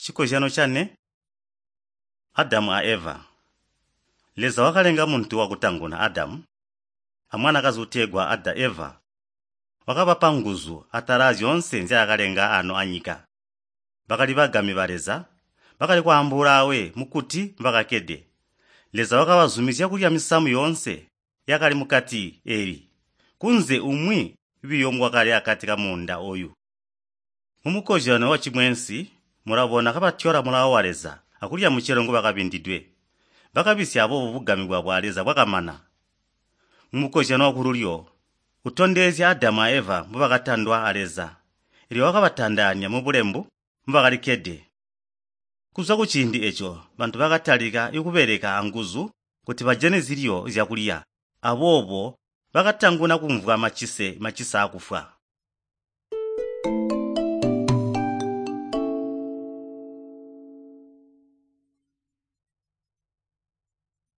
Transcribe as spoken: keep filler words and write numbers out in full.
Chikozyano cane, Adamu a Eva. Leza wakalenga muntu wakutanguna Adamu, amwanakazi utegwa Ada Eva. Wakabapa nguzu atala zyoonse nzyaakalenga ano anyika. Bakali bagami ba Leza, bakali kwaambuula awe mukuti mbakakkede. Leza wakabazumizya kulya misamu yoonse yakali mukati eli, kunze umwi biyo ngwakali akati kamuunda oyu. Mumukozyano wacimwensi mulabona kabatyola mulawo wa Leza akulya mucelo ngubakabindidwe. Bakabisya aboobo bugami bwabo a Leza bwakamana. Mumukozyano wakululyo utondezya Adamu a Eva mbubakatandwa a Leza, elyo wakabatandaanya mubulembu mbubakalikkede. Kuzwa kuciindi eco bantu bakatalika ikubeleka anguzu kuti bajane zilyo zyakulya, aboobo bakatanguna kumvwa macise macisa akufwa.